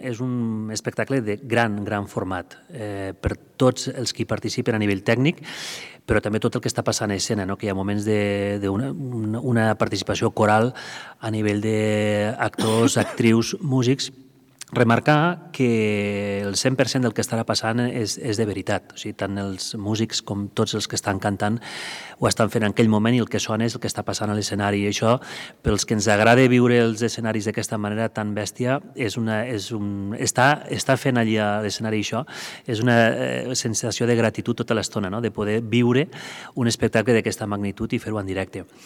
És un espectacle de gran format per tots els que hi participen a nivell tècnic, però també tot el que està passant a escena, que hi ha moments d'una participació coral a nivell d'actors, actrius, músics. Remarcar que el 100% del que estarà passant és de veritat. O sigui, tant els músics com tots els que estan cantant ho estan fent en aquell moment i el que sona és el que està passant a l'escenari. I això, pels que ens agrada viure els escenaris d'aquesta manera tan bèstia, està fent allí a l'escenari això, és una sensació de gratitud tota l'estona, de poder viure un espectacle d'aquesta magnitud i fer-ho en directe.